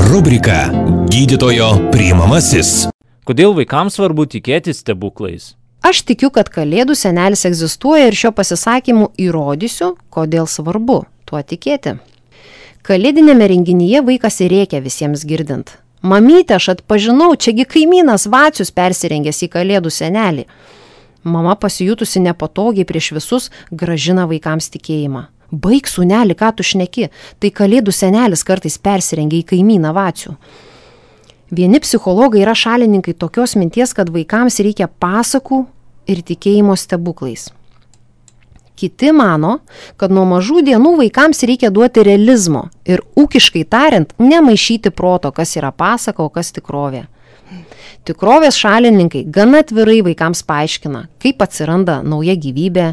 Rubrika Gydytojo priimamasis. Kodėl vaikams svarbu tikėti stebuklais? Aš tikiu, kad Kalėdų senelis egzistuoja ir šio pasisakymu įrodysiu, kodėl svarbu tuo tikėti. Kalėdinėme renginyje vaikas rėkia visiems girdint. Mamyte, aš atpažinau, čiagi kaimynas Vacius persirengęs į Kalėdų senelį. Mama pasijutusi nepatogiai prieš visus grąžina vaikams tikėjimą. Baik, sūneli, ką tu šneki, tai Kalėdų senelis kartais persirengia į kaimyną Vacių. Vieni psichologai yra šalininkai tokios minties, kad vaikams reikia pasakų ir tikėjimo stebuklais. Kiti mano, kad nuo mažų dienų vaikams reikia duoti realizmo ir ūkiškai tariant, nemaišyti proto, kas yra pasaka, o kas tikrovė. Tikrovės šalininkai gana atvirai vaikams paaiškina, kaip atsiranda nauja gyvybė,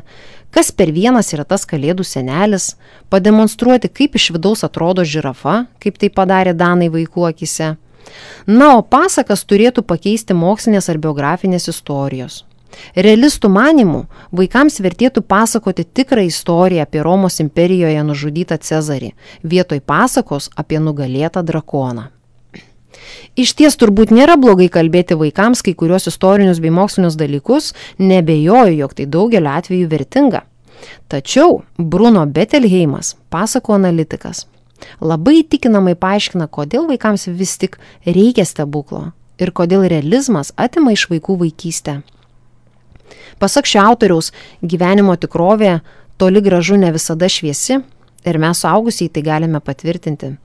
kas per vienas yra tas Kalėdų senelis, pademonstruoti, kaip iš vidaus atrodo žirafa, kaip tai padarė danai vaikų akise. Na, o pasakas turėtų pakeisti mokslinės ar biografinės istorijos. Realistų manymų vaikams vertėtų pasakoti tikrą istoriją apie Romos imperijoje nužudytą Cezarį, vietoj pasakos apie nugalėtą drakoną. Iš ties turbūt nėra blogai kalbėti vaikams kai kurios istorinius bei mokslinius dalykus, nebejoju, jog tai daugeliu atveju vertinga. Tačiau Bruno Bettelheimas, pasakų analitikas, labai įtikinamai paaiškina, kodėl vaikams vis tik reikia stebuklo ir kodėl realizmas atima iš vaikų vaikystę. Pasak šio autoriaus, gyvenimo tikrovė toli gražu ne visada šviesi ir mes suaugusiai tai galime patvirtinti.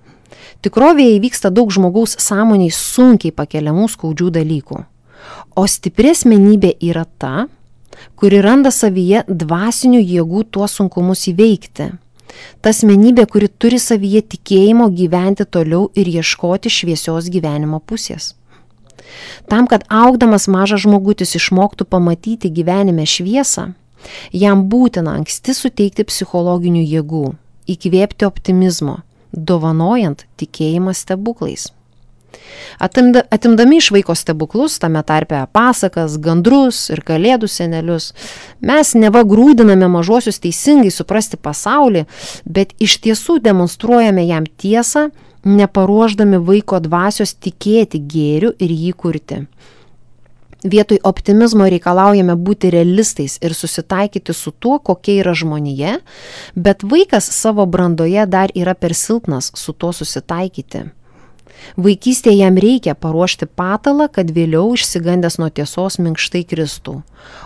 Tikrovėje įvyksta daug žmogaus sąmoniai sunkiai pakeliamų skaudžių dalykų. O stipri asmenybė yra ta, kuri randa savyje dvasinių jėgų tuos sunkumus įveikti. Ta asmenybė, kuri turi savyje tikėjimo gyventi toliau ir ieškoti šviesios gyvenimo pusės. Tam, kad augdamas mažas žmogutis išmoktų pamatyti gyvenime šviesą, jam būtina anksti suteikti psichologinių jėgų, įkvėpti optimizmo, dovanojant tikėjimą stebuklais. Atimdami iš vaiko stebuklus, tame tarpe pasakas, gandrus ir Kalėdų senelius, mes neva grūdiname mažuosius teisingai suprasti pasaulį, bet iš tiesų demonstruojame jam tiesą, neparuošdami vaiko dvasios tikėti gėriu ir jį kurti. Vietoj optimizmo reikalaujame būti realistais ir susitaikyti su tuo, kokia yra žmonija, bet vaikas savo brandoje dar yra per silpnas su tuo susitaikyti. Vaikystėje jam reikia paruošti patalą, kad vėliau išsigandęs nuo tiesos minkštai kristų,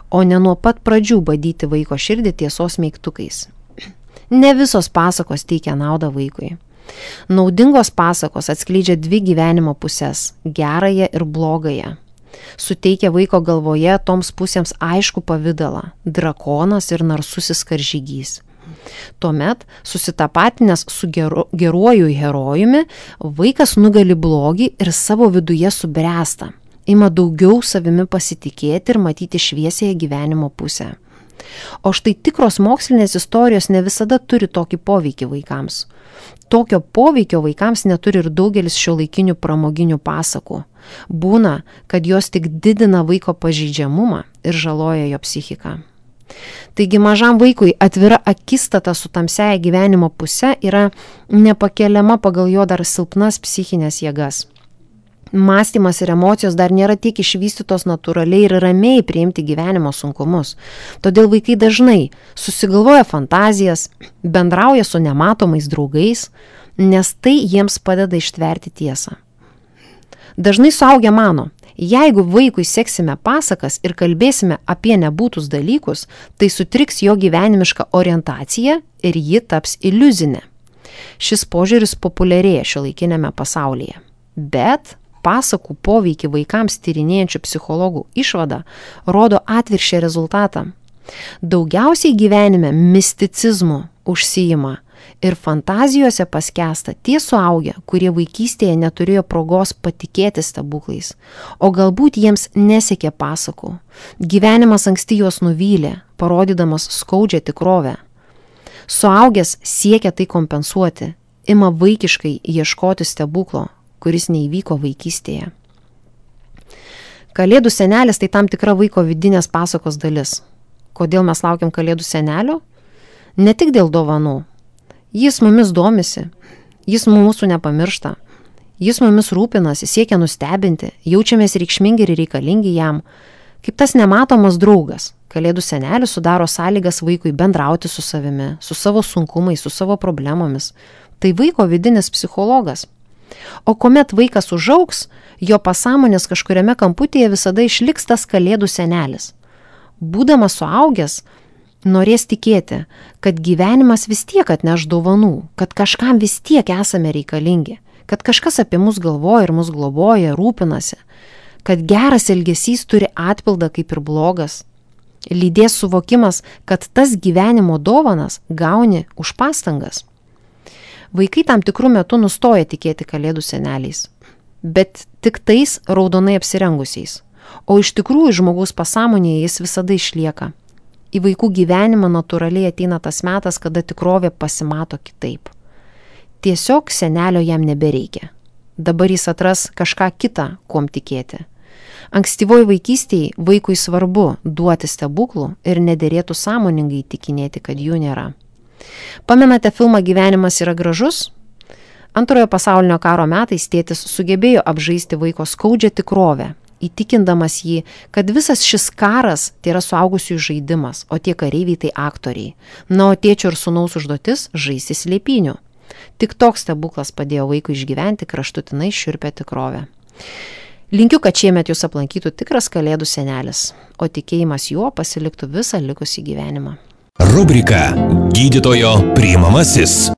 o ne nuo pat pradžių badyti vaiko širdį tiesos meigtukais. Ne visos pasakos teikia naudą vaikui. Naudingos pasakos atskleidžia dvi gyvenimo pusės – gerąją ir blogąją. Suteikia vaiko galvoje toms pusėms aišku pavidalą – drakonas ir narsusis karžygys. Tuomet, susitapatinęs su geruoju herojumi, vaikas nugali blogį ir savo viduje subręsta, ima daugiau savimi pasitikėti ir matyti šviesiąją gyvenimo pusę. O štai tikros mokslinės istorijos ne visada turi tokį poveikį vaikams. Tokio poveikio vaikams neturi ir daugelis šiuolaikinių pramoginių pasakų. Būna, kad jos tik didina vaiko pažeidžiamumą ir žaloja jo psichiką. Taigi mažam vaikui atvira akistata su tamsiaja gyvenimo puse yra nepakeliama pagal jo dar silpnas psichinės jėgas. Mąstymas ir emocijos dar nėra tiek išvystytos natūraliai ir ramiai priimti gyvenimo sunkumus. Todėl vaikai dažnai susigalvoja fantazijas, bendrauja su nematomais draugais, nes tai jiems padeda ištverti tiesą. Dažnai suaugę mano, jeigu vaikui seksime pasakas ir kalbėsime apie nebūtus dalykus, tai sutriks jo gyvenimiška orientacija ir ji taps iliuzinė. Šis požiūris populiarėja šiuolaikinėme pasaulyje. Bet pasakų poveikį vaikams tyrinėjančių psichologų išvada rodo atvirkščią rezultatą. Daugiausiai gyvenime misticizmu užsiima ir fantazijose paskęsta tie suaugę, kurie vaikystėje neturėjo progos patikėti stebuklais, o galbūt jiems nesiekė pasakų. Gyvenimas anksti juos nuvylė, parodydamas skaudžią tikrovę. Suaugęs siekia tai kompensuoti, ima vaikiškai ieškoti stebuklo, kuris neįvyko vaikystėje. Kalėdų senelis tai tam tikra vaiko vidinės pasakos dalis. Kodėl mes laukiam Kalėdų senelio? Ne tik dėl dovanų. Jis mumis domisi, jis mūsų nepamiršta. Jis mumis rūpinasi, siekia nustebinti, jaučiamės reikšmingi ir reikalingi jam. Kaip tas nematomas draugas, Kalėdų senelis sudaro sąlygas vaikui bendrauti su savimi, su savo sunkumais, su savo problemomis. Tai vaiko vidinis psichologas. O kuomet vaikas užaugs, jo pasąmonės kažkuriame kamputėje visada išliks tas Kalėdų senelis. Būdamas suaugęs, norės tikėti, kad gyvenimas vis tiek atneš dovanų, kad kažkam vis tiek esame reikalingi, kad kažkas apie mus galvoja ir mus globoja, rūpinasi, kad geras elgesys turi atpildą kaip ir blogas. Lydės suvokimas, kad tas gyvenimo dovanas gauni už pastangas. Vaikai tam tikrų metų nustoja tikėti Kalėdų seneliais, bet tik tais raudonai apsirengusiais, o iš tikrųjų žmogaus pasąmonėje jis visada išlieka. Į vaikų gyvenimą natūraliai ateina tas metas, kada tikrovė pasimato kitaip. Tiesiog senelio jam nebereikia. Dabar jis atras kažką kitą, kuom tikėti. Ankstyvoj vaikystėje vaikui svarbu duoti stebuklų ir nederėtų sąmoningai įtikinėti, kad jų nėra. Pamenate filmą Gyvenimas yra gražus? Antrojo pasaulinio karo metais tėtis sugebėjo apžaisti vaiko skaudžią tikrovę, įtikindamas jį, kad visas šis karas tai yra suaugusiųjų žaidimas, o tie kareiviai tai aktoriai. Na, o tėčio ir sūnaus užduotis žaisti slėpynių. Tik toks stebuklas padėjo vaikui išgyventi kraštutinai šiurpią tikrovę. Linkiu, kad šiemet jūs aplankytų tikras Kalėdų senelis, o tikėjimas juo pasiliktų visą likusį gyvenimą. Rubrika Gydytojo priimamasis.